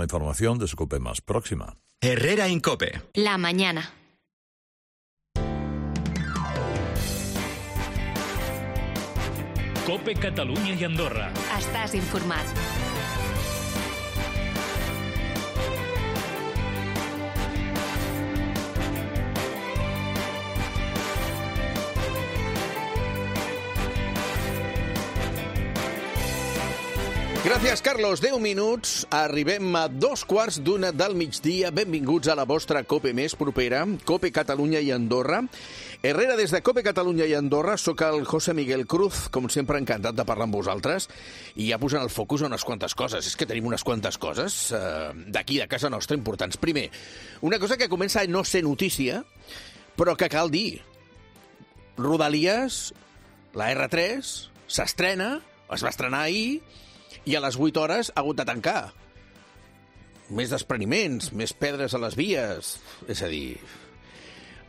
La información de su COPE más próxima. Herrera Incope. La mañana. COPE Catalunya i Andorra. Estàs informat. Gràcies, Carlos. 10 minuts. Arribem a 2:15 del migdia. Benvinguts a la vostra COPE més propera, COPE Catalunya i Andorra. Herrera, des de COPE Catalunya i Andorra, sóc el José Miguel Cruz, com sempre encantat de parlar amb vosaltres, i ja posant el focus a unes quantes coses. És que tenim unes quantes coses d'aquí, de casa nostra, importants. Primer, una cosa que comença a no ser notícia, però que cal dir. Rodalies, la R3, s'estrena, es va estrenar ahir, i a les 8 hores ha hagut de tancar. Més despreniments, més pedres a les vies. És a dir...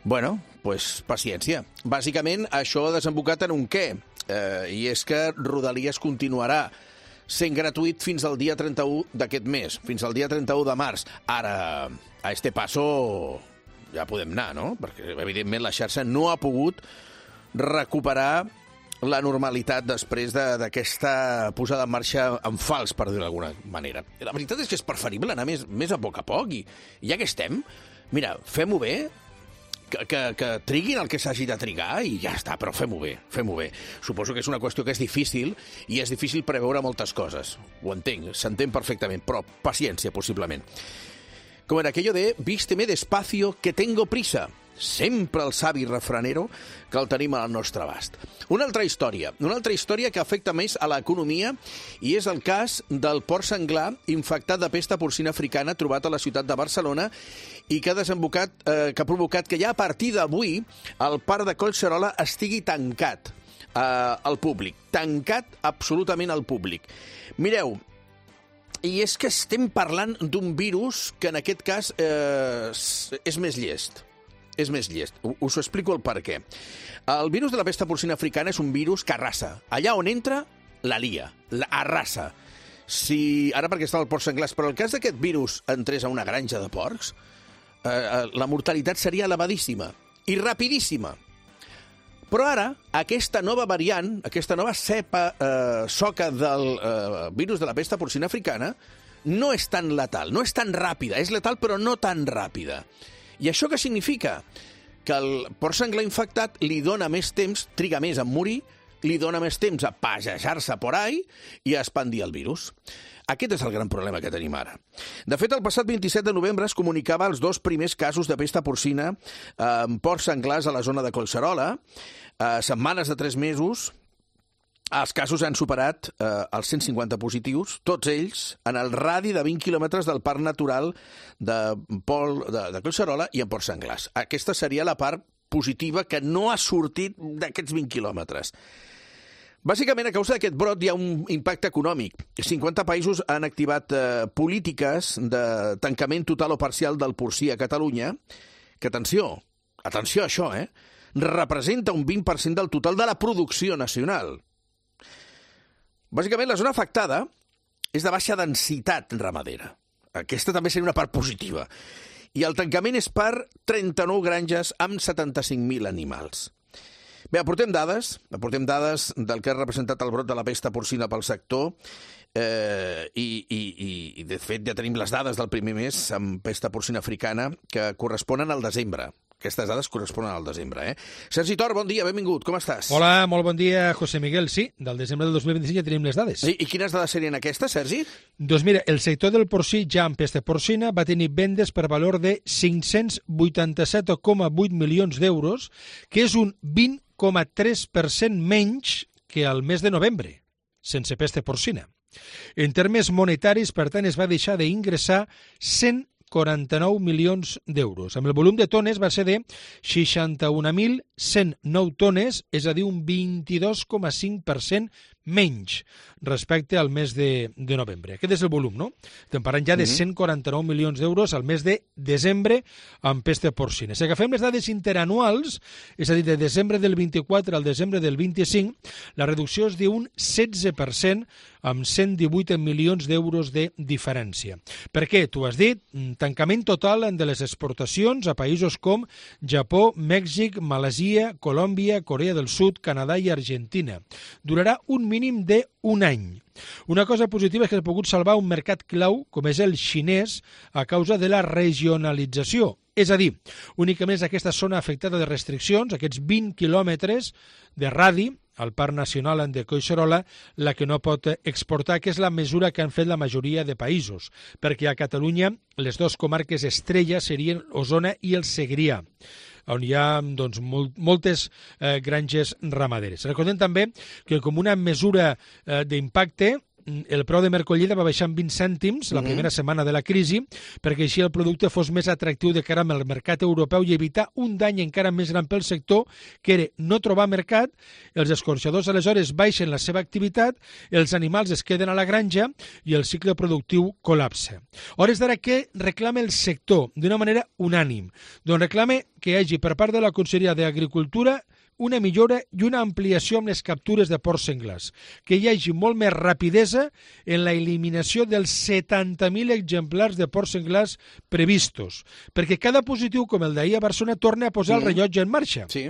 Bueno, doncs paciència. Bàsicament, això ha desembocat en un què? I és que Rodalies continuarà sent gratuït fins al dia 31 d'aquest mes, fins al dia 31 de març. Ara, a este passo ja podem anar, no? Perquè, evidentment, la xarxa no ha pogut recuperar la normalitat després d'aquesta posada en marxa en fals, per dir-ho d'alguna manera. La veritat és que és preferible anar més a poc, i ja que estem, mira, fem-ho bé, que triguin el que s'hagi de trigar i ja està, però fem-ho bé, fem-ho bé. Suposo que és una qüestió que és difícil i és difícil preveure moltes coses. Ho entenc, s'entén perfectament, però paciència, possiblement. Com era aquello de vísteme despacio que tengo prisa. Sempre el savi refranero que el tenim al nostre abast. Una altra història que afecta més a l'economia i és el cas del porc senglar infectat de pesta porcina africana trobat a la ciutat de Barcelona i que ha provocat que ja a partir d'avui el parc de Collserola estigui tancat al públic. Tancat absolutament al públic. Mireu, i és que estem parlant d'un virus que en aquest cas és més llest. És més llest. Us ho explico el per què. El virus de la pesta porcina africana és un virus que arrasa. Allà on entra, la lia. Arrasa. Ara perquè està el porc senglars, però el cas d'aquest virus entrés a una granja de porcs, la mortalitat seria elevadíssima i rapidíssima. Però ara, aquesta nova variant, aquesta nova cepa soca del virus de la pesta porcina africana, no és tan letal, no és tan ràpida. És letal, però no tan ràpida. I això què significa? Que el porc senglar infectat li dona més temps, triga més a morir, li dona més temps a passejar-se por ahí i a expandir el virus. Aquest és el gran problema que tenim ara. De fet, el passat 27 de novembre es comunicava els 2 primers casos de pesta porcina en porcs senglars a la zona de Collserola. Setmanes de 3 mesos, els casos han superat els 150 positius, tots ells en el radi de 20 quilòmetres del Parc Natural de Collserola i en porcs senglars. Aquesta seria la part positiva que no ha sortit d'aquests 20 quilòmetres. Bàsicament, a causa d'aquest brot hi ha un impacte econòmic. 50 països han activat polítiques de tancament total o parcial del porcí a Catalunya, que, atenció a això, representa un 20% del total de la producció nacional. Bàsicament, la zona afectada és de baixa densitat ramadera. Aquesta també seria una part positiva. I el tancament és per 39 granges amb 75.000 animals. Bé, aportem dades del que ha representat el brot de la pesta porcina pel sector i de fet, ja tenim les dades del primer mes amb pesta porcina africana que corresponen al desembre. Aquestes dades corresponen al desembre, Sergi Tor, bon dia, benvingut, com estàs? Hola, molt bon dia, José Miguel. Sí, del desembre del 2025 ja tenim les dades. I quines dades serien aquestes, Sergi? Doncs mira, el sector del porcí ja amb pesta porcina va tenir vendes per valor de 587,8 milions d'euros, que és un 20,3% menys que al mes de novembre, sense pesta porcina. En termes monetaris, per tant, es va deixar d'ingressar 149 milions d'euros. Amb el volum de tones va ser de 61.109 tones, és a dir, un 22,5% menys respecte al mes de novembre. Aquest és el volum, no? Estem parlant ja de 149 milions d'euros al mes de desembre amb pesta porcina. Si agafem les dades interanuals, és a dir, de desembre del 24 al desembre del 25, la reducció és d'un 16% amb 118 milions d'euros de diferència. Per què? Tu has dit, tancament total de les exportacions a països com Japó, Mèxic, Malàisia, Colòmbia, Corea del Sud, Canadà i Argentina. Durarà un mínim d'un any. Una cosa positiva és que s'ha pogut salvar un mercat clau com és el xinès a causa de la regionalització. És a dir, únicament és aquesta zona afectada de restriccions, aquests 20 quilòmetres de radi, al Parc Nacional de Collserola, la que no pot exportar, que és la mesura que han fet la majoria de països, perquè a Catalunya les dues comarques estrella serien Osona i el Segrià, on hi ha doncs, moltes granges ramaderes. Recordem també que com una mesura d'impacte, el preu de mercollida va baixar en 20 cèntims la primera setmana de la crisi perquè així el producte fos més atractiu de cara al mercat europeu i evitar un dany encara més gran pel sector, que era no trobar mercat, els escorxadors aleshores baixen la seva activitat, els animals es queden a la granja i el cicle productiu col·lapsa. A hores d'ara, què reclama el sector d'una manera unànim? Doncs reclama que hi hagi per part de la Conselleria d'Agricultura una millora i una ampliació amb les captures de porcs senglars, que hi hagi molt més rapidesa en la eliminació dels 70.000 exemplars de porcs senglars previstos, perquè cada positiu com el d'ahir a Barcelona torna a posar el rellotge en marxa. Sí.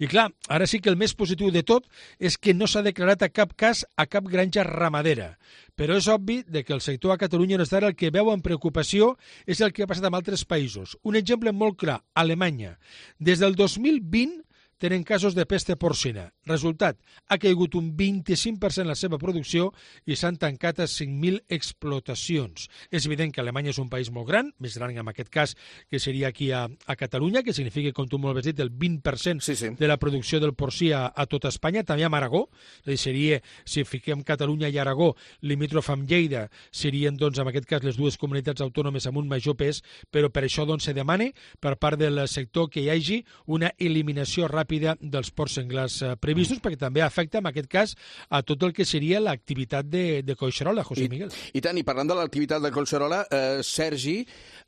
I clar, ara sí que el més positiu de tot és que no s'ha declarat a cap cas a cap granja ramadera. Però és obvi que el sector a Catalunya no és d'ara el que veu amb preocupació és el que ha passat amb altres països. Un exemple molt clar, Alemanya. Des del 2020 tenen casos de pesta porcina. Resultat, ha caigut un 25% la seva producció i s'han tancat a 5.000 explotacions. És evident que Alemanya és un país molt gran, més gran en aquest cas que seria aquí a Catalunya, que significa, com tu molt bé has dit, el 20% de la producció del porcí a tot Espanya, també a Aragó. És a dir, seria, si fiquem Catalunya i Aragó, limítrof amb Lleida, serien, doncs, en aquest cas, les dues comunitats autònomes amb un major pes, però per això doncs, se demana per part del sector que hi hagi una eliminació ràpida dels porcs senglars previstos, perquè també afecta, en aquest cas, a tot el que seria l'activitat de Collserola, José Miguel. I tant, i parlant de l'activitat de Collserola, Sergi,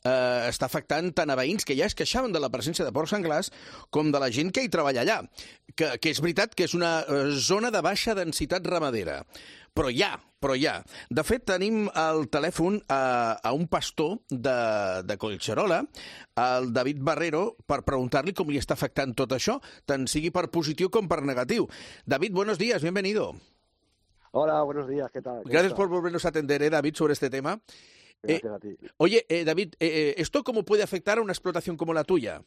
està afectant tant a veïns que ja es queixaven de la presència de porcs senglars com de la gent que hi treballa allà, que és veritat que és una zona de baixa densitat ramadera. Però hi ha. De fet, tenim al telèfon a un pastor de Collserola, el David Barrero, per preguntar-li com li està afectant tot això, tant sigui per positiu com per negatiu. David, buenos días, bienvenido. Hola, buenos días, ¿qué tal? Gracias por volvernos a atender, David, sobre este tema. Gracias a ti. Oye, David, ¿esto cómo puede afectar a una explotación como la tuya?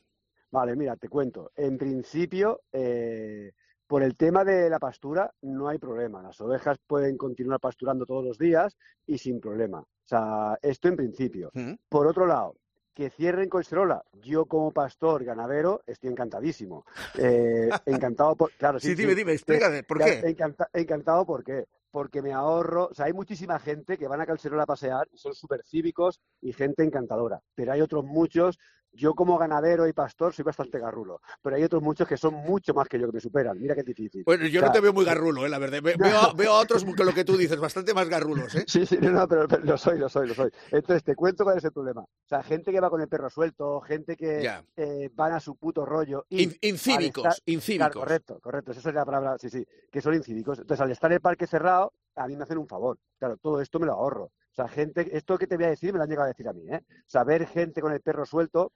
Vale, mira, te cuento. En principio, por el tema de la pastura no hay problema. Las ovejas pueden continuar pasturando todos los días y sin problema. O sea, esto en principio. Por otro lado, que cierren Collserola. Yo como pastor ganadero estoy encantadísimo. Encantado por... Claro, sí, dime, explícame, ¿por qué? Encantado, ¿por qué? Porque me ahorro... O sea, hay muchísima gente que van a Collserola a pasear y son súper cívicos y gente encantadora. Pero hay otros muchos... Yo como ganadero y pastor soy bastante garrulo, pero hay otros muchos que son mucho más que yo, que me superan. Mira qué difícil. Bueno, yo no te veo muy garrulo, la verdad. Veo a otros que lo que tú dices, bastante más garrulos, ¿eh? Sí, no, pero lo soy. Entonces, te cuento cuál es el problema. O sea, gente que va con el perro suelto, gente que van a su puto rollo. Incívicos. Claro, correcto. Esa es la palabra, sí, que son incívicos. Entonces, al estar en el parque cerrado, a mí me hacen un favor. Claro, todo esto me lo ahorro. O sea, gente, esto que te voy a decir me lo han llegado a decir a mí, ¿eh? O sea, ver gente con el perro suelto,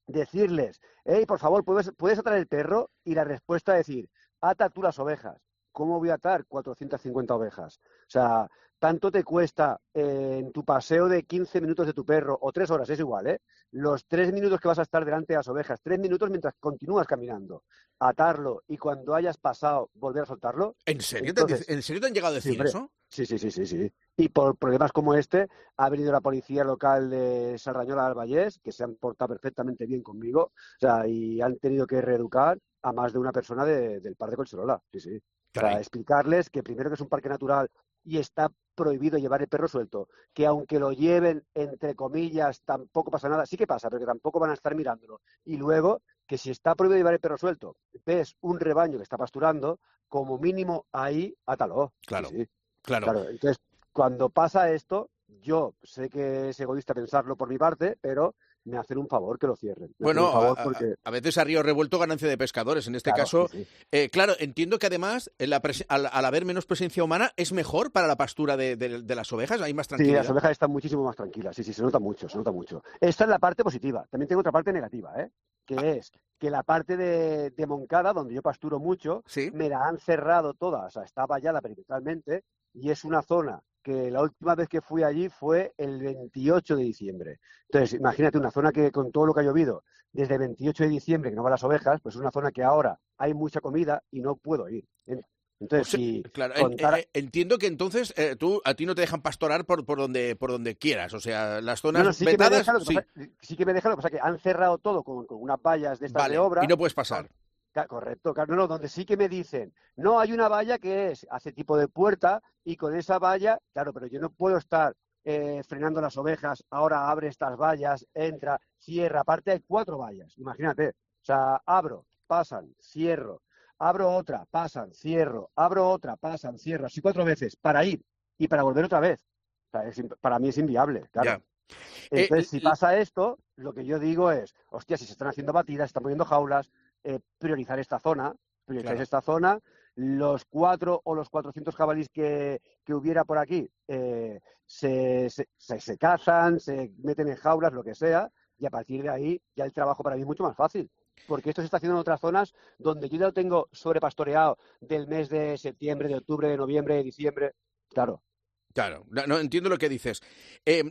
decirles, hey, por favor, ¿puedes atar el perro? Y la respuesta es decir, ata tú las ovejas. ¿Cómo voy a atar 450 ovejas? O sea, tanto te cuesta en tu paseo de 15 minutos de tu perro, o 3 horas, es igual, ¿eh? Los 3 minutos que vas a estar delante de las ovejas, 3 minutos mientras continúas caminando, atarlo y cuando hayas pasado volver a soltarlo. ¿En serio? ¿En serio te han llegado a decir eso? Sí. Y por problemas como este, ha venido la policía local de Sardañola del Vallès, que se han portado perfectamente bien conmigo, o sea, y han tenido que reeducar a más de una persona del parque de Collserola, sí. Para explicarles que primero que es un parque natural y está prohibido llevar el perro suelto, que aunque lo lleven, entre comillas, tampoco pasa nada. Sí que pasa, pero que tampoco van a estar mirándolo. Y luego, que si está prohibido llevar el perro suelto, ves un rebaño que está pasturando, como mínimo ahí a taló. Claro, Sí, sí. claro. Claro, entonces, cuando pasa esto, yo sé que es egoísta pensarlo por mi parte, pero me hacen un favor que lo cierren. Me hacen Bueno, un favor porque... a veces a río revuelto ganancia de pescadores. En este Claro, caso, sí, sí. claro, entiendo que además, al haber menos presencia humana, es mejor para la pastura de las ovejas, hay más Sí, tranquilidad. las ovejas están muchísimo más tranquilas. Sí, sí, se nota mucho, se nota mucho. Esta es la parte positiva. También tengo otra parte negativa, que es que la parte de Moncada, donde yo pasturo mucho, Sí. me la han cerrado toda. O sea, está vallada perimetralmente y es una zona que la última vez que fui allí fue el 28 de diciembre. Entonces, imagínate una zona que con todo lo que ha llovido desde el 28 de diciembre, que no van las ovejas, pues es una zona que ahora hay mucha comida y no puedo ir. Entonces, si claro, contara... entiendo que entonces a ti no te dejan pastorar por donde quieras, o sea, las No, zonas sí que me vetadas, dejan, sí, sí que me dejan, lo que pasa es que han cerrado todo con unas vallas de estas vale, de obra. y no puedes pasar. Correcto, claro, no, donde sí que me dicen, no, hay una valla que hace tipo de puerta y con esa valla, claro, pero yo no puedo estar frenando las ovejas, ahora abre estas vallas, entra, cierra, aparte hay 4 vallas, imagínate, o sea, abro, pasan, cierro, abro otra, pasan, cierro, abro otra, pasan, cierro, así 4 veces, para ir y para volver otra vez. O sea, para mí es inviable, claro. Ya. Entonces, si pasa esto, lo que yo digo es, hostia, si se están haciendo batidas, se están poniendo jaulas, priorizar esta zona, Claro. esta zona, los 4 o los 400 jabalíes que hubiera por aquí se cazan, se meten en jaulas, lo que sea, y a partir de ahí ya el trabajo para mí es mucho más fácil. Porque esto se está haciendo en otras zonas donde yo ya lo tengo sobrepastoreado del mes de septiembre, de octubre, de noviembre, de diciembre. Claro. Claro, no entiendo lo que dices.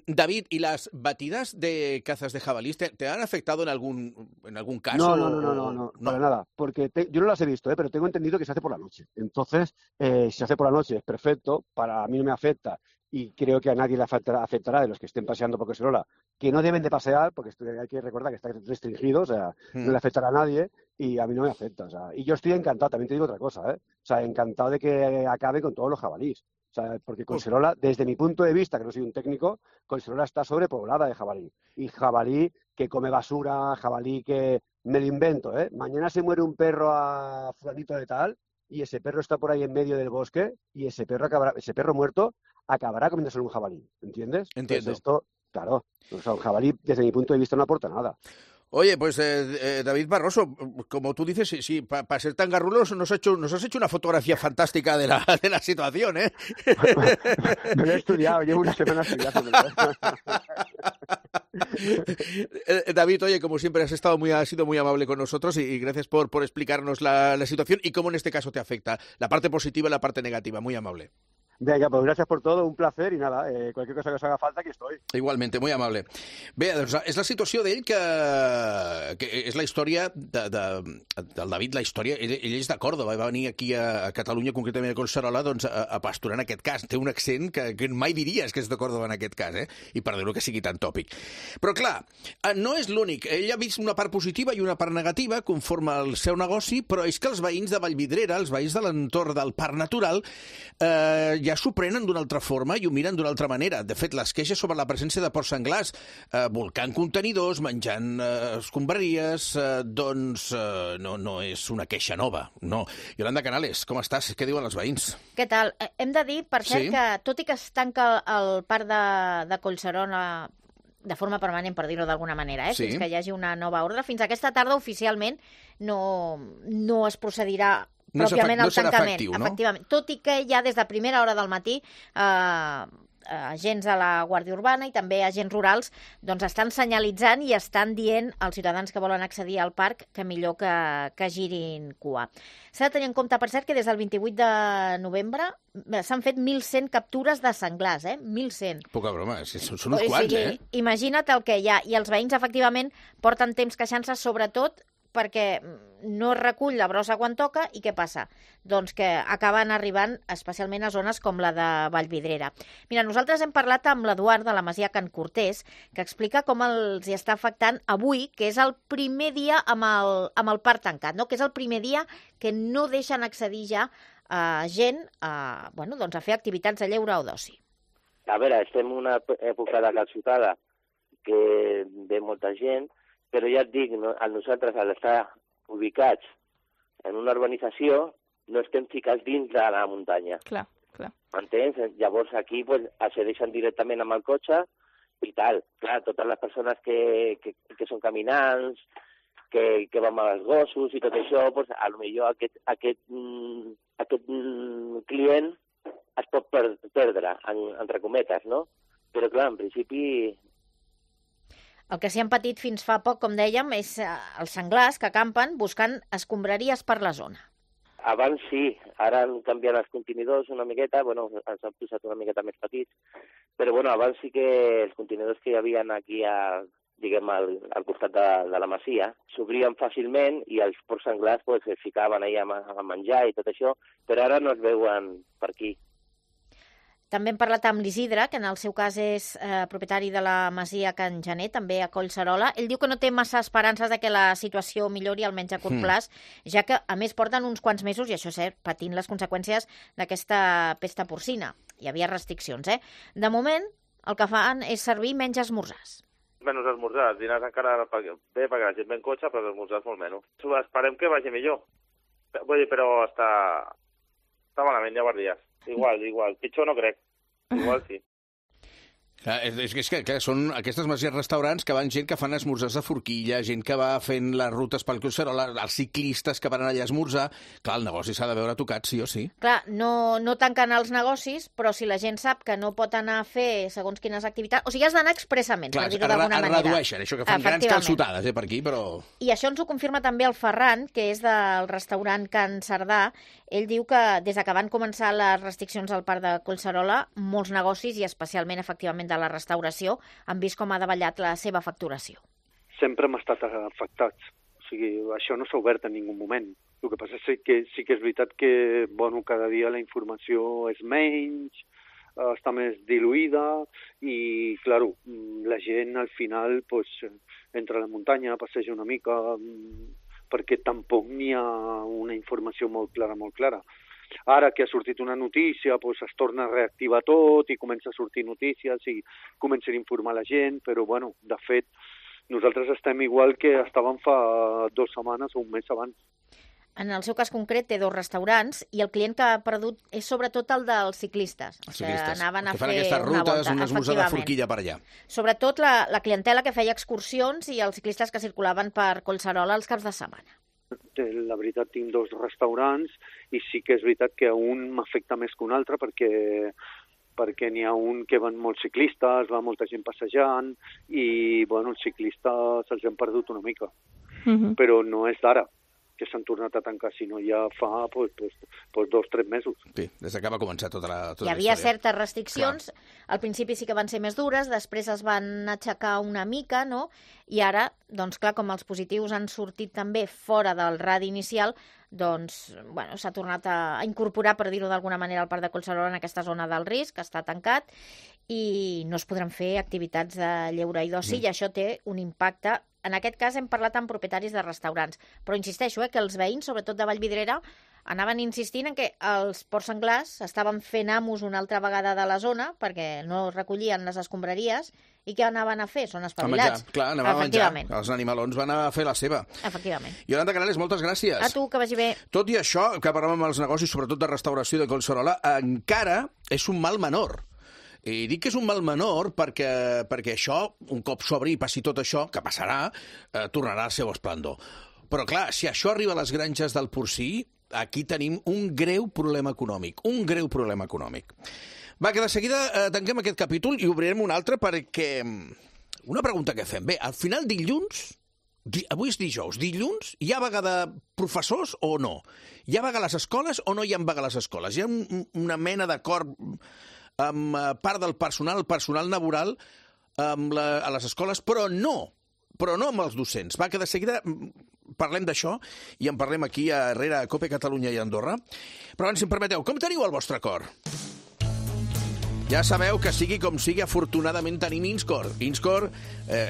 David, ¿y las batidas de cazas de jabalíes te han afectado en algún caso? No, para nada, porque yo no las he visto, pero tengo entendido que se hace por la noche. Entonces, si se hace por la noche es perfecto, para mí no me afecta y creo que a nadie le afectará de los que estén paseando por Collserola, que no deben de pasear, porque hay que recordar que está restringido, o sea, no le afectará a nadie y a mí no me afecta. O sea, y yo estoy encantado, también te digo otra cosa, o sea, encantado de que acabe con todos los jabalíes. O sea, porque Collserola, desde mi punto de vista, que no soy un técnico, Collserola está sobrepoblada de jabalí. Y jabalí que come basura, jabalí que... Me lo invento, Mañana se muere un perro a fulanito de tal y ese perro está por ahí en medio del bosque y ese perro muerto acabará comiéndose un jabalí, ¿entiendes? Entiendo. Entonces esto, claro, o sea, un jabalí, desde mi punto de vista, no aporta nada. Oye, pues David Barroso, como tú dices, sí, para ser tan garrulos nos has hecho una fotografía fantástica de la situación, ¿eh? Me lo he estudiado, llevo una semana estudiando. David, oye, como siempre has sido muy amable con nosotros y gracias por explicarnos la situación y cómo en este caso te afecta, la parte positiva y la parte negativa, muy amable. Vinga, pues gràcies per tot, un placer i nada, qualsevol cosa que us haga falta, aquí estoy. Igualmente, muy amable. Bé, doncs és la situació d'ell que és la història del David, la història, ell és de Còrdoba, va venir aquí a Catalunya, concretament a Collserola, doncs a pasturar en aquest cas. Té un accent que mai diries que és de Còrdoba en aquest cas, i perdoneu que sigui tan tòpic. Però clar, no és l'únic. Ell ha vist una part positiva i una part negativa conforme al seu negoci, però és que els veïns de Vallvidrera, els veïns de l'entorn del Parc Natural, ja s'ho prenen d'una altra forma i ho miren d'una altra manera. De fet, les queixes sobre la presència de porcs senglars volcant contenidors, menjant escombraries, doncs no és una queixa nova, no. Yolanda Canales, com estàs? Què diuen els veïns? Què tal? Hem de dir, per cert, que tot i que es tanca el parc de Collserola de forma permanent, per dir-ho d'alguna manera, fins que hi hagi una nova ordre, fins aquesta tarda oficialment no es procedirà pròpiament al tancament, efectiu, no? Efectivament. Tot i que ja des de primera hora del matí agents de la Guàrdia Urbana i també agents rurals doncs estan senyalitzant i estan dient als ciutadans que volen accedir al parc que millor que girin cua. S'ha de tenir en compte, per cert, que des del 28 de novembre s'han fet 1.100 captures de senglars, 1.100. Poca broma, són uns quants, Imagina't el que hi ha. I els veïns, efectivament, porten temps queixant-se, sobretot perquè no es recull la brossa quan toca i què passa? Doncs que acaben arribant especialment a zones com la de Vallvidrera. Mira, nosaltres hem parlat amb l'Eduard de la Masia Can Cortés, que explica com els hi està afectant avui, que és el primer dia amb el parc tancat, no? Que és el primer dia que no deixen accedir ja gent a fer activitats de lleure o d'oci. A veure, estem en una època de calçotada que ve molta gent, però ja et dic, nosaltres al estar ubicats en una urbanització no estem ficats dins de la muntanya. Clar. Entens? Llavors aquí pues, accedeixen directament amb el cotxe i tal. Clar, totes les persones que són caminants, que van amb els gossos i tot això, pues, a lo millor aquest client es pot perdre, entre cometes, no? Però clar, en principi... El que s'hi han patit fins fa poc, com dèiem, és els senglars que campen buscant escombraries per la zona. Abans sí, ara han canviat els contenidors una miqueta, bueno, ens han posat una miqueta més petits, però bueno, abans sí que els contenidors que hi havia aquí al costat de la masia s'obrien fàcilment i els porcs senglars pues, es ficaven allà a menjar i tot això, però ara no es veuen per aquí. També hem parlat amb l'Isidre, que en el seu cas és propietari de la masia Can Gener, també a Collserola. Ell diu que no té massa esperances de que la situació millori almenys a curt plaç, ja que, a més, porten uns quants mesos, i això és cert, patint les conseqüències d'aquesta pesta porcina. Hi havia restriccions, eh? De moment, el que fan és servir menys esmorzars. Menys esmorzars, dinars encara bé perquè la gent ve en cotxe, però esmorzars molt menys. Esperem que vagi millor. Vull dir, però està malament, ja ho dies. Igual. Pitjor no crec. Igual sí. És que són aquestes masies restaurants que van gent que fan esmorzars de forquilla, gent que va fent les rutes pel Collserola, els ciclistes que van allà a esmorzar. Clar, el negoci s'ha de veure tocat, sí o sí. Clar, no tanquen els negocis, però si la gent sap que no pot anar a fer segons quines activitats... O sigui, has d'anar expressament, per dir-ho d'alguna manera. Redueixen, això que fan grans calçotades per aquí, però... I això ens ho confirma també el Ferran, que és del restaurant Can Cerdà. Ell diu que des que van començar les restriccions al parc de Collserola, molts negocis, i especialment, efectivament, de la restauració, han vist com ha davallat la seva facturació. Sempre hem estat afectats. O sigui, això no s'ha obert en ningú moment. El que passa és que sí que és veritat que, bueno, cada dia la informació és menys, està més diluïda i, claro, la gent al final pues, entra a la muntanya, passeja una mica, perquè tampoc n'hi ha una informació molt clara. Ara que ha sortit una notícia, pues, es torna a reactivar tot i comença a sortir notícies i comencen a informar la gent, però, bueno, de fet, nosaltres estem igual que estàvem fa 2 setmanes o un mes abans. En el seu cas concret té 2 restaurants i el client que ha perdut és sobretot el dels ciclistes. Que anaven a fer aquestes rutes, un esmorzar de forquilla per allà. Sobretot la clientela que feia excursions i els ciclistes que circulaven per Collserola els caps de setmana. La veritat, tinc 2 restaurants i sí que és veritat que un m'afecta més que un altre perquè n'hi ha un que van molts ciclistes, va molta gent passejant i, bueno, els ciclistes se'ls han perdut una mica. Però no és d'ara que s'han tornat a tancar, sinó ja fa 2 o 3 mesos. Sí, des que va començar tota la història. Hi havia certes restriccions, al principi sí que van ser més dures, després es van aixecar una mica, no? I ara, doncs clar, com els positius han sortit també fora del radi inicial, doncs, bueno, s'ha tornat a incorporar, per dir-ho d'alguna manera, al parc de Collserola en aquesta zona del risc, que està tancat, i no es podran fer activitats de lleure i d'oci, i això té un impacte. En aquest cas hem parlat amb propietaris de restaurants, però insisteixo que els veïns, sobretot de Vallvidrera, anaven insistint en que els porcs senglars estaven fent amos una altra vegada de la zona perquè no recollien les escombraries i què anaven a fer? Són espavilats. Clar, anaven a menjar. Els animalons van a fer la seva. Efectivament. Iolanda Canales, moltes gràcies. A tu, que vagi bé. Tot i això, que parlàvem amb els negocis, sobretot de restauració de Collserola, encara és un mal menor. I dic que és un mal menor perquè això, un cop s'obri i passi tot això, que passarà, tornarà al seu esplendor. Però clar, si això arriba a les granges del porcí, aquí tenim un greu problema econòmic. Va, que de seguida tanquem aquest capítol i obrirem un altre perquè... Una pregunta que fem. Bé, al final dilluns, avui és dijous, dilluns hi ha vaga de professors o no? Hi ha vaga a les escoles o no hi ha vaga a les escoles? Hi ha una mena d'acord amb part del personal laboral a les escoles, però no amb els docents. Va, que de seguida parlem d'això i en parlem aquí a Herrera, a COPE Catalunya i Andorra. Però abans, si em permeteu, com teniu el vostre cor? Ja sabeu que sigui com sigui, afortunadament tenim INSCOR. INSCOR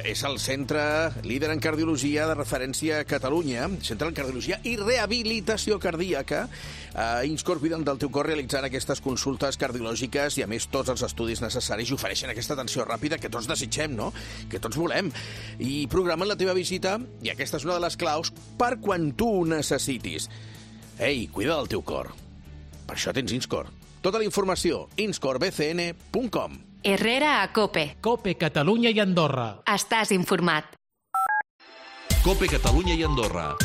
és el centre líder en cardiologia de referència a Catalunya, centre en cardiologia i rehabilitació cardíaca. INSCOR cuiden del teu cor realitzant aquestes consultes cardiològiques i, a més, tots els estudis necessaris i ofereixen aquesta atenció ràpida que tots desitgem, no? Que tots volem. I programen la teva visita, i aquesta és una de les claus, per quan tu ho necessitis. Ei, cuida del teu cor. Per això tens Inscor. Tota la informació, inscorbcn.com. Herrera a Cope. Cope Catalunya i Andorra. Estàs informat. Cope Catalunya i Andorra.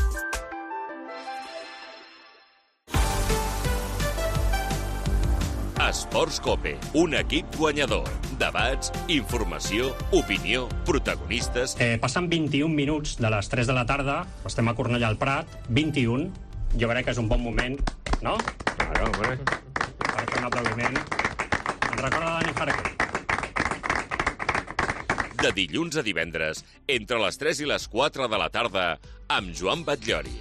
Esports Cope, un equip guanyador. Debats, informació, opinió, protagonistes... Passen 21 minuts de les 3 de la tarda, estem a Cornellà al Prat, 21. Jo crec que és un bon moment, no? Claro, hombre. Per fer un aplaudiment. Ens recorda Dani Jarque. De dilluns a divendres, entre les 3 i les 4 de la tarda, amb Joan Batllori.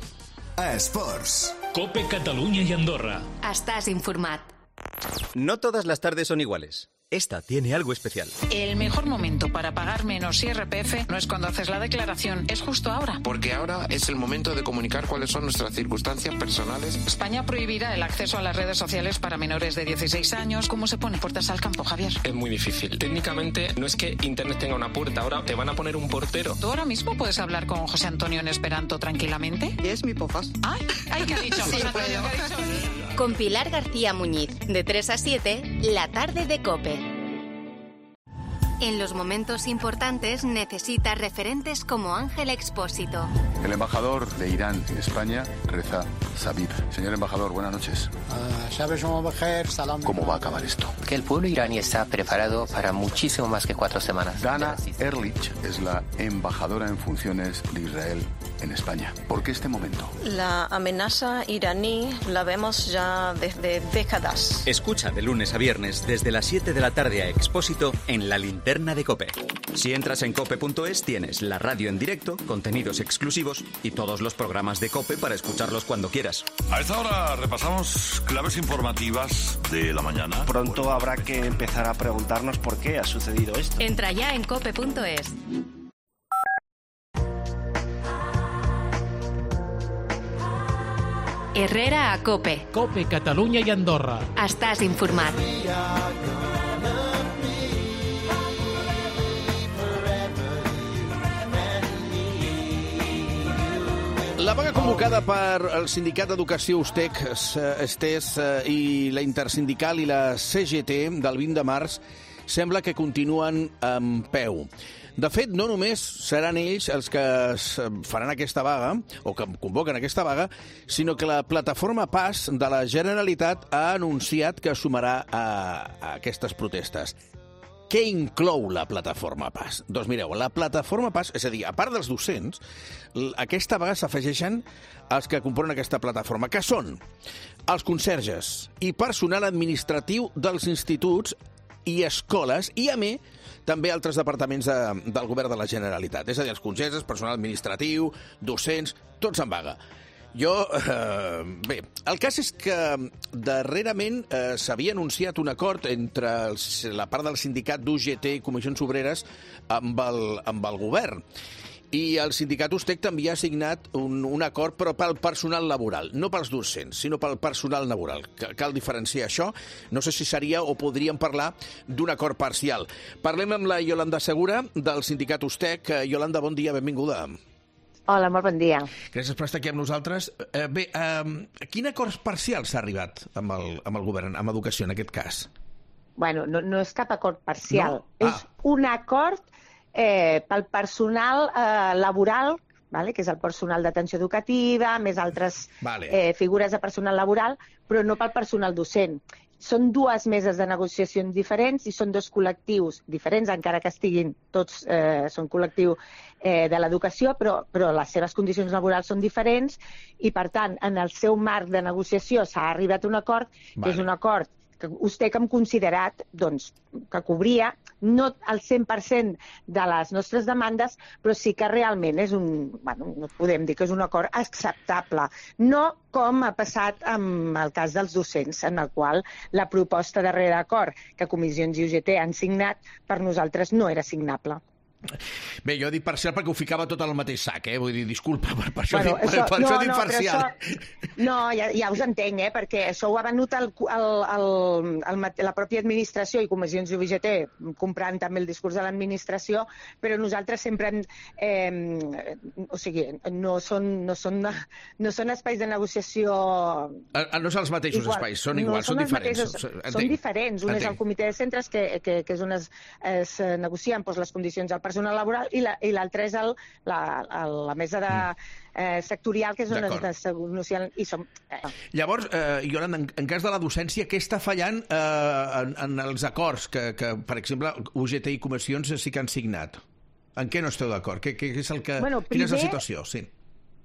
Esports. Cope Catalunya i Andorra. Estàs informat. No todas las tardes son iguales. Esta tiene algo especial. El mejor momento para pagar menos IRPF no es cuando haces la declaración, es justo ahora. Porque ahora es el momento de comunicar cuáles son nuestras circunstancias personales. España prohibirá el acceso a las redes sociales para menores de 16 años. ¿Cómo se pone puertas al campo, Javier? Es muy difícil. Técnicamente no es que Internet tenga una puerta, ahora te van a poner un portero. ¿Tú ahora mismo puedes hablar con José Antonio en esperanto tranquilamente? Es mi pofas. Ay, ¿qué ha dicho José Antonio? ¿Qué ha dicho? Con Pilar García Muñiz, de 3 a 7, la tarde de Cope. En los momentos importantes necesita referentes como Ángel Expósito. El embajador de Irán en España reza Sabib. Señor embajador, buenas noches. ¿Cómo va a acabar esto? Que el pueblo iraní está preparado para muchísimo más que 4 semanas. Dana Ehrlich es la embajadora en funciones de Israel en España. ¿Por qué este momento? La amenaza iraní la vemos ya desde décadas. Escucha de lunes a viernes desde las 7 de la tarde a Expósito en La Linterna de Cope. Si entras en cope.es tienes la radio en directo, contenidos exclusivos y todos los programas de Cope para escucharlos cuando quieras. A esta hora repasamos claves informativas de la mañana. Pronto habrá que empezar a preguntarnos por qué ha sucedido esto. Entra ya en cope.es. Herrera a Cope. Cope Catalunya i Andorra. Estàs informat. La vaga convocada per el Sindicat d'Educació USTEC, STES i la Intersindical i la CGT del 20 de març sembla que continuen en peu. De fet, no només seran ells els que faran aquesta vaga, o que convoquen aquesta vaga, sinó que la plataforma PAS de la Generalitat ha anunciat que sumarà a aquestes protestes. Què inclou la plataforma PAS? Doncs mireu, la plataforma PAS, és a dir, a part dels docents, aquesta vaga s'afegeixen els que componen aquesta plataforma, que són els conserges i personal administratiu dels instituts i escoles, i a més, també altres departaments del govern de la Generalitat. És a dir, els conserges, personal administratiu, docents, tots en vaga. Bé, el cas és que darrerament s'havia anunciat un acord entre la part del sindicat d'UGT i Comissions Obreres amb el govern. I el sindicat USTEC també ha signat un acord, però pel personal laboral, no pels docents, sinó pel personal laboral. Cal diferenciar això. No sé si seria o podríem parlar d'un acord parcial. Parlem amb la Iolanda Segura, del sindicat USTEC. Iolanda, bon dia, benvinguda. Hola, molt bon dia. Gràcies per estar aquí amb nosaltres. Bé, a quin acord parcial s'ha arribat amb el govern, amb educació, en aquest cas? Bueno, no és cap acord parcial. No? És un acord pel personal laboral, vale? Que és el personal d'atenció educativa, més altres figures de personal laboral, però no pel personal docent. Són dues meses de negociacions diferents i són dos col·lectius diferents, encara que estiguin tots, són col·lectiu de l'educació, però les seves condicions laborals són diferents i, per tant, en el seu marc de negociació s'ha arribat a un acord, que és un acord que USTEC hem considerat que cobria no el 100% de les nostres demandes, però sí que realment és no podem dir que és un acord acceptable. No com ha passat amb el cas dels docents, en el qual la proposta darrere d'acord que Comissions i UGT han signat per nosaltres no era signable. Bé, jo dic parcial perquè ho ficava tot al mateix sac, Vull dir, disculpa, per això dic parcial. No, ja us entenc, perquè això ho ha venut la pròpia administració i comissions d'UGT, comprant també el discurs de l'administració, però nosaltres sempre o sigui, no són espais de negociació... No són els mateixos espais, són iguals, són diferents. Són diferents. Un és el comitè de centres, que és on es negocien les condicions del personal laboral, i l'altre és la mesa sectorial, que és on es negocien. Llavors, Iolanda, en cas de la docència, què està fallant en els acords que, per exemple, UGT i comissions sí que han signat? En què no esteu d'acord? Quina és la situació? Sí.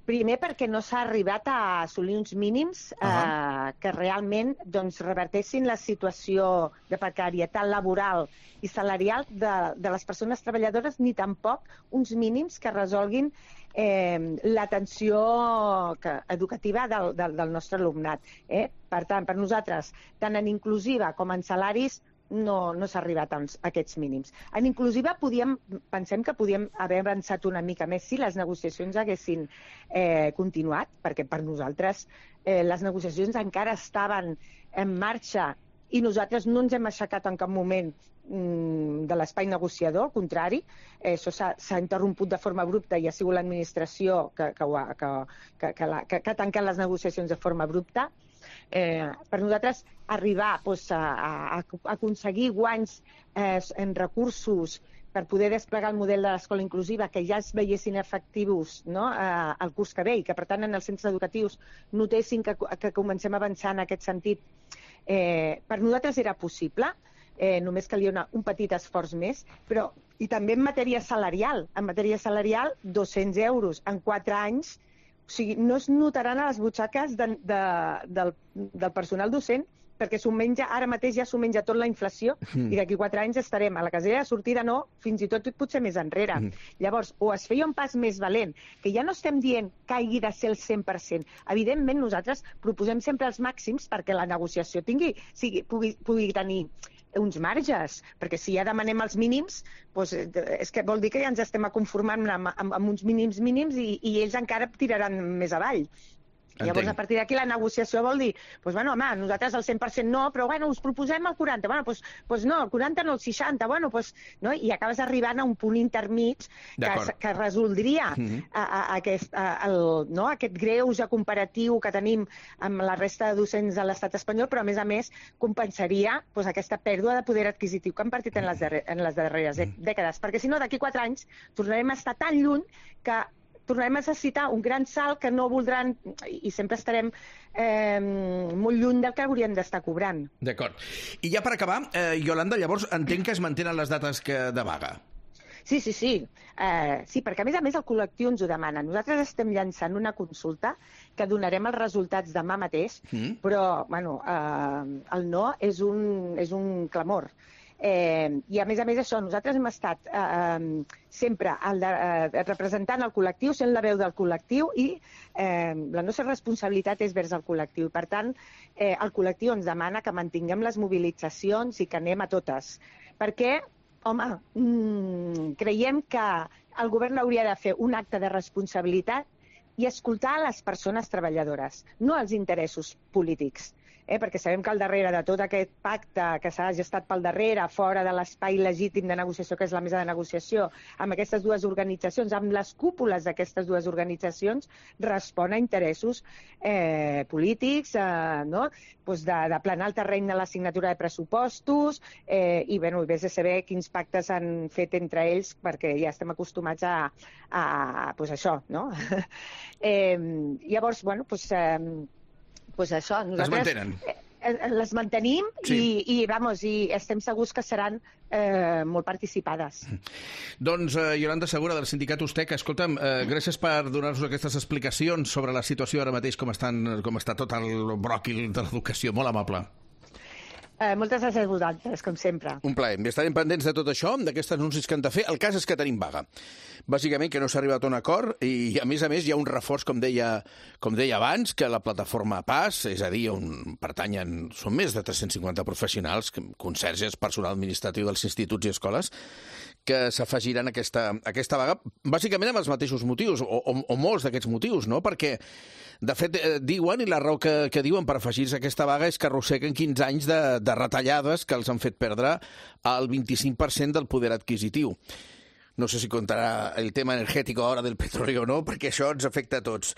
Primer, perquè no s'ha arribat a assolir uns mínims que realment revertessin la situació de precarietat laboral i salarial de les persones treballadores, ni tampoc uns mínims que resolguin l'atenció educativa del nostre alumnat. Per tant, per nosaltres, tant en inclusiva com en salaris, no s'ha arribat a aquests mínims. En inclusiva pensem que podíem haver avançat una mica més si les negociacions haguessin continuat, perquè per nosaltres les negociacions encara estaven en marxa i nosaltres no ens hem aixecat en cap moment de l'espai negociador, al contrari, això s'ha interromput de forma abrupta i ha sigut l'administració que ha tancat les negociacions de forma abrupta. Per nosaltres arribar a aconseguir guanys en recursos per poder desplegar el model de l'escola inclusiva, que ja es veiessin efectius al curs que ve i que, per tant, en els centres educatius notessin que comencem a avançar en aquest sentit, per nosaltres era possible, només calia un petit esforç més, però i també en matèria salarial. En matèria salarial, 200 euros en 4 anys, o sigui, no es notaran a les butxaques del personal docent, perquè ara mateix ja s'ho menja tot la inflació i d'aquí 4 anys estarem a la casella de sortida, fins i tot potser més enrere. Llavors, o es feia un pas més valent, que ja no estem dient que hagi de ser el 100%. Evidentment, nosaltres proposem sempre els màxims perquè la negociació pugui tenir uns marges, perquè si ja demanem els mínims, és que vol dir que ja ens estem conformant amb uns mínims i ells encara tiraran més avall. Llavors, a partir d'aquí, la negociació vol dir, nosaltres el 100% no, però us proposem el 40%. No, el 40% no, el 60%, i acabes arribant a un punt intermig que resoldria aquest greuge comparatiu que tenim amb la resta de docents de l'estat espanyol, però, a més, compensaria aquesta pèrdua de poder adquisitiu que han partit en les darreres dècades. Perquè, si no, d'aquí 4 anys tornarem a estar tan lluny que tornarem a necessitar un gran salt que no voldran i sempre estarem molt lluny del que hauríem d'estar cobrant. D'acord. I ja per acabar, Iolanda, llavors entenc que es mantenen les dates de vaga. Sí. Sí, perquè a més el col·lectiu ens ho demana. Nosaltres estem llançant una consulta que donarem els resultats demà mateix, però el no és un clamor. I a més això, nosaltres hem estat sempre representant el col·lectiu, sent la veu del col·lectiu i la nostra responsabilitat és vers el col·lectiu. Per tant, el col·lectiu ens demana que mantinguem les mobilitzacions i que anem a totes. Perquè, creiem que el govern hauria de fer un acte de responsabilitat i escoltar les persones treballadores, no els interessos polítics. Perquè sabem que al darrere de tot aquest pacte que s'ha gestat pel darrere, fora de l'espai legítim de negociació, que és la mesa de negociació, amb aquestes dues organitzacions, amb les cúpules d'aquestes dues organitzacions, respon a interessos polítics, d'aplanar el terreny de la signatura de pressupostos i vés a saber quins pactes han fet entre ells, perquè ja estem acostumats a això, no? Llavors, això, nosaltres les mantenim i estem segurs que seran molt participades. Doncs, Iolanda Segura, del sindicat USTEC, escolta'm, gràcies per donar-nos aquestes explicacions sobre la situació ara mateix, com està tot el bròquil de l'educació. Molt amable. Moltes gràcies a vosaltres, com sempre. Un plaer. Estarem pendents de tot això, d'aquests anuncis que han de fer. El cas és que tenim vaga. Bàsicament que no s'ha arribat a un acord i, a més, hi ha un reforç, com deia abans, que la plataforma PAS, és a dir, on pertanyen, són més de 350 professionals, conserges, personal administratiu dels instituts i escoles, que s'afegiran a aquesta vaga, bàsicament amb els mateixos motius, o molts d'aquests motius, no? Perquè, de fet, diuen, i la raó que diuen per afegir-se a aquesta vaga és que arrosseguen 15 anys de retallades que els han fet perdre el 25% del poder adquisitiu. No sé si contarà el tema energètic ara del petroli o no, perquè això ens afecta a tots.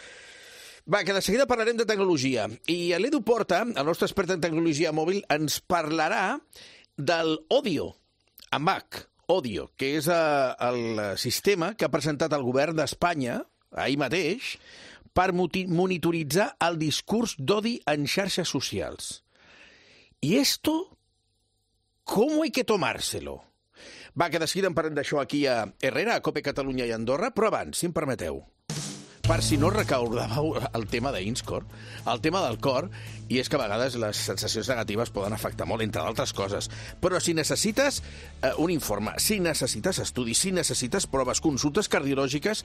Va, que de seguida parlarem de tecnologia. I l'Edu Porta, el nostre expert en tecnologia mòbil, ens parlarà del Odio, amb H, Odio, que és el sistema que ha presentat el govern d'Espanya, ahir mateix, per monitoritzar el discurs d'odi en xarxes socials. I esto, ¿cómo hay que tomárselo? Va, que de seguida en parlem d'això aquí a Herrera, a COPE Catalunya i Andorra, però abans, si em permeteu, per si no recordàveu el tema d'Inscore, el tema del cor, i és que a vegades les sensacions negatives poden afectar molt, entre d'altres coses. Però si necessites un informe, si necessites estudis, si necessites proves, consultes cardiològiques,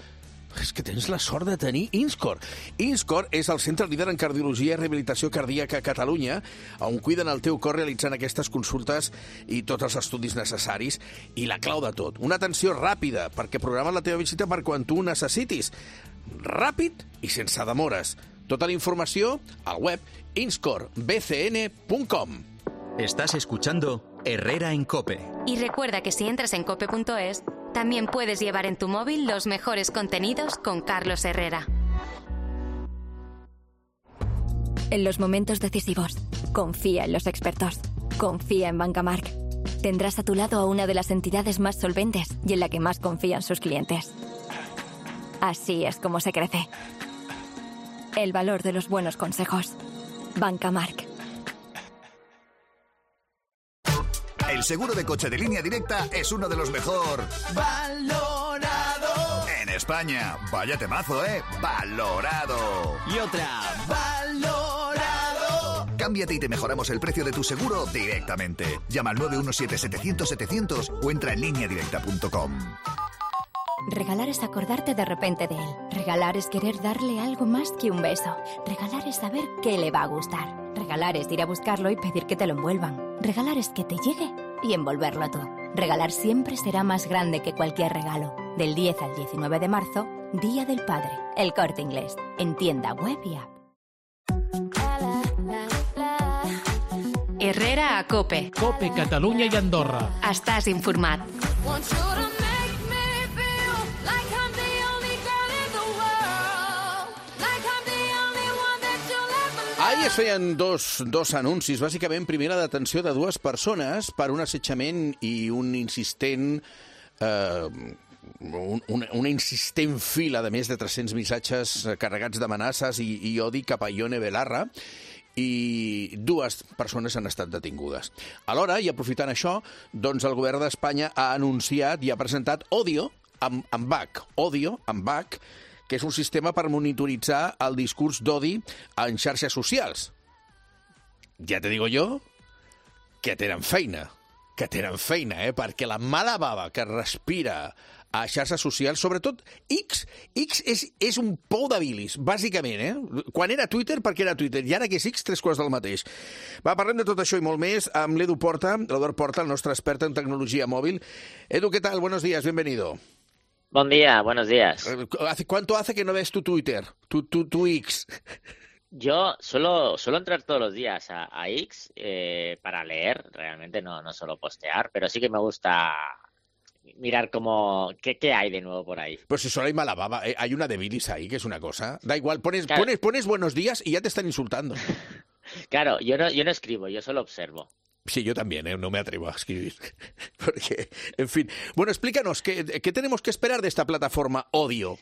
és que tens la sort de tenir Inscore. Inscore és el centre líder en cardiologia i rehabilitació cardíaca a Catalunya, on cuiden el teu cor realitzant aquestes consultes i tots els estudis necessaris. I la clau de tot, una atenció ràpida, perquè programen la teva visita per quan tu ho necessitis. Ràpid i sense demores. Tota la informació al web inscorebcn.com. Estás escuchando Herrera en COPE. Y recuerda que si entras en cope.es, también puedes llevar en tu móvil los mejores contenidos con Carlos Herrera. En los momentos decisivos, confía en los expertos. Confía en Bancamark. Tendrás a tu lado a una de las entidades más solventes y en la que más confían sus clientes. Así es como se crece. El valor de los buenos consejos. Bancamark. El seguro de coche de Línea Directa es uno de los mejor valorado en España. Vaya temazo, ¿eh? Valorado. Y otra. Valorado. Cámbiate y te mejoramos el precio de tu seguro directamente. Llama al 917-700-700 o entra en lineadirecta.com. Regalar es acordarte de repente de él. Regalar es querer darle algo más que un beso. Regalar es saber qué le va a gustar. Regalar es ir a buscarlo y pedir que te lo envuelvan. Regalar es que te llegue y envolverlo tú. Regalar siempre será más grande que cualquier regalo. Del 10 al 19 de marzo, Día del Padre. El Corte Inglés. En tienda web y app. Herrera a COPE. COPE Catalunya i Andorra. Estàs informat. Ahir es feien dos anuncis. Bàsicament, primer la detenció de dues persones per un assetjament i un insistent... una insistent fila de més de 300 missatges carregats d'amenaces i odi cap a Ione Belarra, i dues persones han estat detingudes. Alhora, i aprofitant això, doncs el govern d'Espanya ha anunciat i ha presentat Odio amb H, Odio amb H, que és un sistema per monitoritzar el discurs d'odi en xarxes socials. Ja te digo yo que tenen feina, perquè la mala bava que respira a xarxes socials, sobretot X és un pou de bilis, bàsicament, Quan era Twitter, perquè era Twitter, i ara que és X, 3 quarts del mateix. Va, parlem de tot això i molt més amb l'Edu Porta, l'Eduard Porta, el nostre expert en tecnologia mòbil. Edu, ¿qué tal? Buenos días, bienvenido. Buen día, buenos días. ¿Cuánto hace que no ves tu Twitter, tu X? Yo suelo entrar todos los días a X para leer, realmente no solo postear, pero sí que me gusta mirar qué hay de nuevo por ahí. Pues si solo hay mala baba, hay una de bilis ahí, que es una cosa. Da igual, pones buenos días y ya te están insultando. Claro, yo no escribo, yo solo observo. Sí, yo también, no me atrevo a escribir. Porque, en fin. Bueno, explícanos, ¿qué tenemos que esperar de esta plataforma Odio?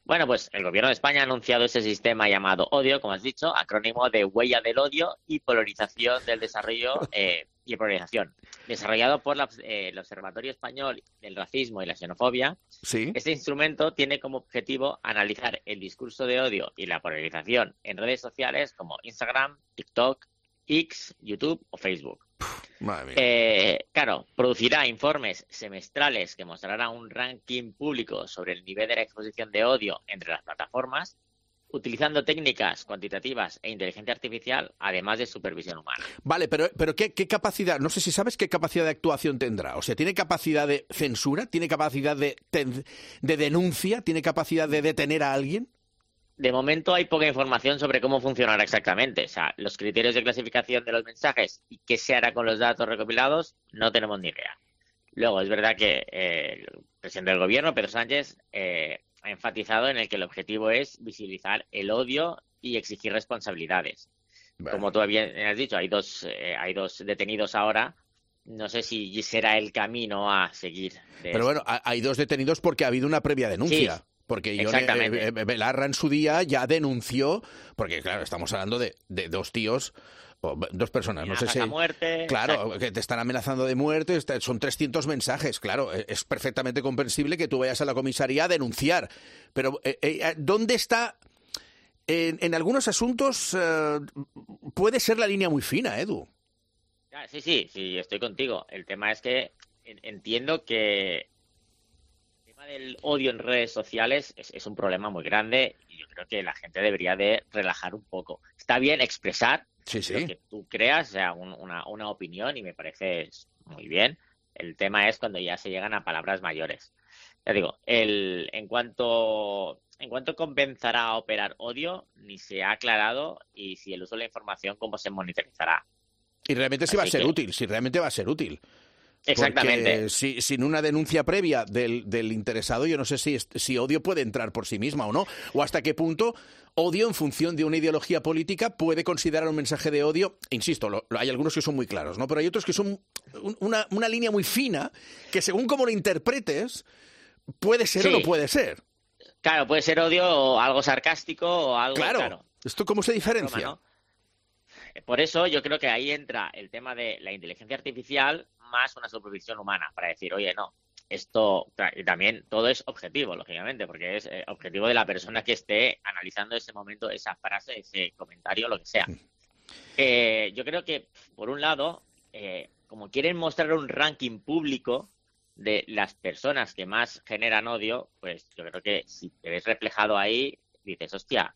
Bueno, pues el Gobierno de España ha anunciado ese sistema llamado Odio, como has dicho, acrónimo de Huella del Odio y Polarización del Desarrollo y Polarización, desarrollado por el Observatorio Español del Racismo y la Xenofobia. Sí. Este instrumento tiene como objetivo analizar el discurso de odio y la polarización en redes sociales como Instagram, TikTok, X, YouTube o Facebook. Madre mía. Claro, producirá informes semestrales que mostrarán un ranking público sobre el nivel de la exposición de odio entre las plataformas utilizando técnicas cuantitativas e inteligencia artificial, además de supervisión humana. Vale, pero ¿qué capacidad? No sé si sabes qué capacidad de actuación tendrá. O sea, ¿tiene capacidad de censura? ¿Tiene capacidad de denuncia? ¿Tiene capacidad de detener a alguien? De momento hay poca información sobre cómo funcionará exactamente. O sea, los criterios de clasificación de los mensajes y qué se hará con los datos recopilados, no tenemos ni idea. Luego, es verdad que el presidente del gobierno, Pedro Sánchez, ha enfatizado en el que el objetivo es visibilizar el odio y exigir responsabilidades. Bueno. Como tú bien has dicho, hay dos detenidos ahora. No sé si será el camino a seguir. Pero bueno, hay 2 detenidos porque ha habido una previa denuncia. Sí. Porque Belarra en su día ya denunció, porque claro, estamos hablando de 2 tíos, o 2 personas, no sé si... muerte, claro, exacto. Que te están amenazando de muerte, son 300 mensajes, claro, es perfectamente comprensible que tú vayas a la comisaría a denunciar, pero ¿dónde está? En algunos asuntos puede ser la línea muy fina, Edu. Sí, estoy contigo. El tema es que entiendo que del odio en redes sociales es un problema muy grande y yo creo que la gente debería de relajar un poco. Está bien expresar lo que tú creas, o sea, una opinión, y me parece muy bien. El tema es cuando ya se llegan a palabras mayores. Ya digo, en cuanto comenzará a operar odio, ni se ha aclarado, y si el uso de la información, cómo se monitorizará. Y realmente sí va a ser útil, si realmente va a ser útil. Exactamente. Porque sin una denuncia previa del interesado, yo no sé si odio puede entrar por sí misma o no, o hasta qué punto odio en función de una ideología política puede considerar un mensaje de odio. Insisto, hay algunos que son muy claros, ¿no? Pero hay otros que son una línea muy fina que según cómo lo interpretes puede ser o no puede ser. Claro, puede ser odio o algo sarcástico o algo... Claro. ¿Esto cómo se diferencia? Broma, ¿no? Por eso yo creo que ahí entra el tema de la inteligencia artificial más una supervisión humana, para decir, oye, no, esto, y también todo es objetivo, lógicamente, porque es objetivo de la persona que esté analizando ese momento, esa frase, ese comentario, lo que sea. Yo creo que, por un lado, como quieren mostrar un ranking público de las personas que más generan odio, pues yo creo que si te ves reflejado ahí, dices, hostia,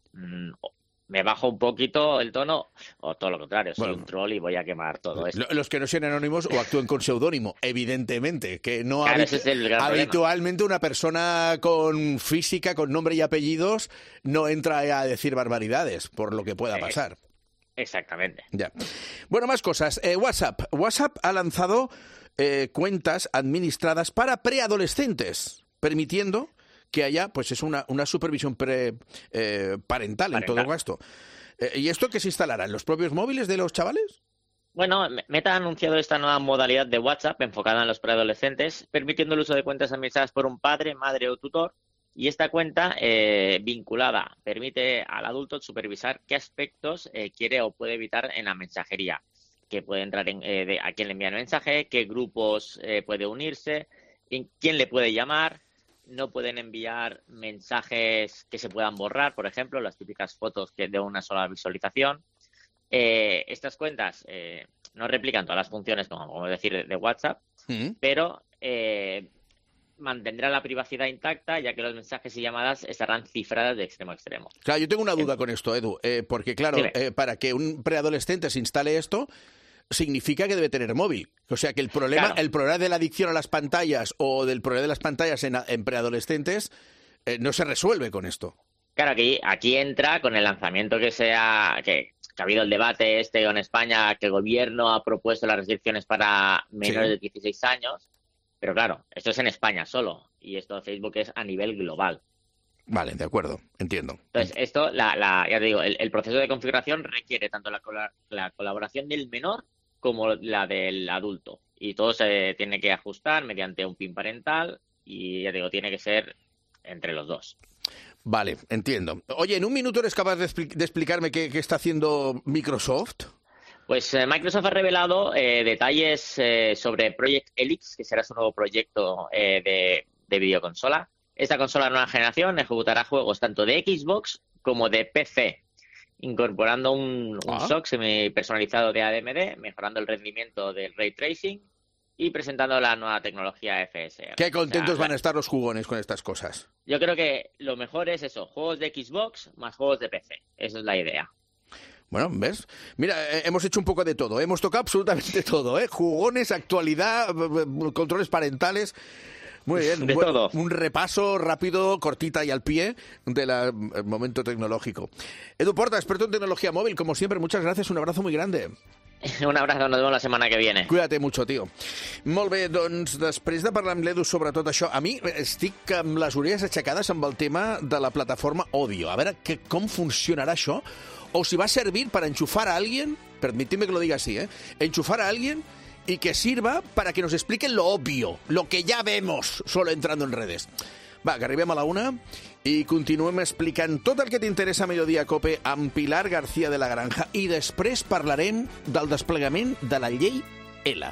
me bajo un poquito el tono, o todo lo contrario, soy un troll y voy a quemar todo esto. Los que no sean anónimos o actúen con seudónimo, evidentemente, que no ese es el gran habitualmente problema. Una persona con física, con nombre y apellidos, no entra a decir barbaridades, por lo que pueda pasar. Exactamente. Ya. Bueno, más cosas. WhatsApp ha lanzado cuentas administradas para preadolescentes, permitiendo que haya, pues es una supervisión parental en todo esto. ¿Y esto qué se instalará? ¿En los propios móviles de los chavales? Bueno, Meta ha anunciado esta nueva modalidad de WhatsApp enfocada en los preadolescentes, permitiendo el uso de cuentas administradas por un padre, madre o tutor, y esta cuenta vinculada permite al adulto supervisar qué aspectos quiere o puede evitar en la mensajería, que puede entrar a quién le envía el mensaje, qué grupos puede unirse, quién le puede llamar. No pueden enviar mensajes que se puedan borrar, por ejemplo, las típicas fotos de una sola visualización. Estas cuentas no replican todas las funciones, como decir, de WhatsApp, pero mantendrán la privacidad intacta, ya que los mensajes y llamadas estarán cifradas de extremo a extremo. Claro, yo tengo una duda con esto, Edu, porque claro, para que un preadolescente se instale esto, significa que debe tener móvil. O sea que el problema de la adicción a las pantallas o del problema de las pantallas en preadolescentes no se resuelve con esto. Claro, aquí entra con el lanzamiento que ha habido el debate en España, que el gobierno ha propuesto las restricciones para menores de 16 años, pero claro, esto es en España solo, y esto de Facebook es a nivel global. Vale, de acuerdo, entiendo. Entonces, esto, ya te digo, el proceso de configuración requiere tanto la colaboración del menor como la del adulto. Y todo se tiene que ajustar mediante un PIN parental y, ya digo, tiene que ser entre los dos. Vale, entiendo. Oye, ¿en un minuto eres capaz de explicarme qué está haciendo Microsoft? Pues Microsoft ha revelado detalles sobre Project Helix, que será su nuevo proyecto de videoconsola. Esta consola de nueva generación ejecutará juegos tanto de Xbox como de PC, incorporando un SoC semi-personalizado de AMD, mejorando el rendimiento del Ray Tracing y presentando la nueva tecnología FSR. Qué contentos van a estar los jugones con estas cosas. Yo creo que lo mejor es eso, juegos de Xbox más juegos de PC. Esa es la idea. Bueno, ¿ves? Mira, hemos hecho un poco de todo. Hemos tocado absolutamente todo, ¿eh? Jugones, actualidad, controles parentales. Muy bien. De todo. Un repaso rápido, cortita y al pie del momento tecnológico. Edu Porta, experto en tecnología móvil, como siempre, muchas gracias. Un abrazo muy grande. Un abrazo, nos vemos la setmana que viene. Cuídate mucho, tio. Molt bé, doncs, després de parlar amb l'Edu sobre tot això, a mi estic amb les orelles aixecades amb el tema de la plataforma Odio. A veure com funcionarà això, o si va a servir para enchufar a alguien, permitidme que lo diga así, enchufar a alguien y que sirva para que nos expliquen lo obvio, lo que ya vemos solo entrando en redes. Va, que arribem a la 1 i continuem explicant tot el que t'interessa a Mediodía Cope amb Pilar García de la Granja i després parlarem del desplegament de la llei L.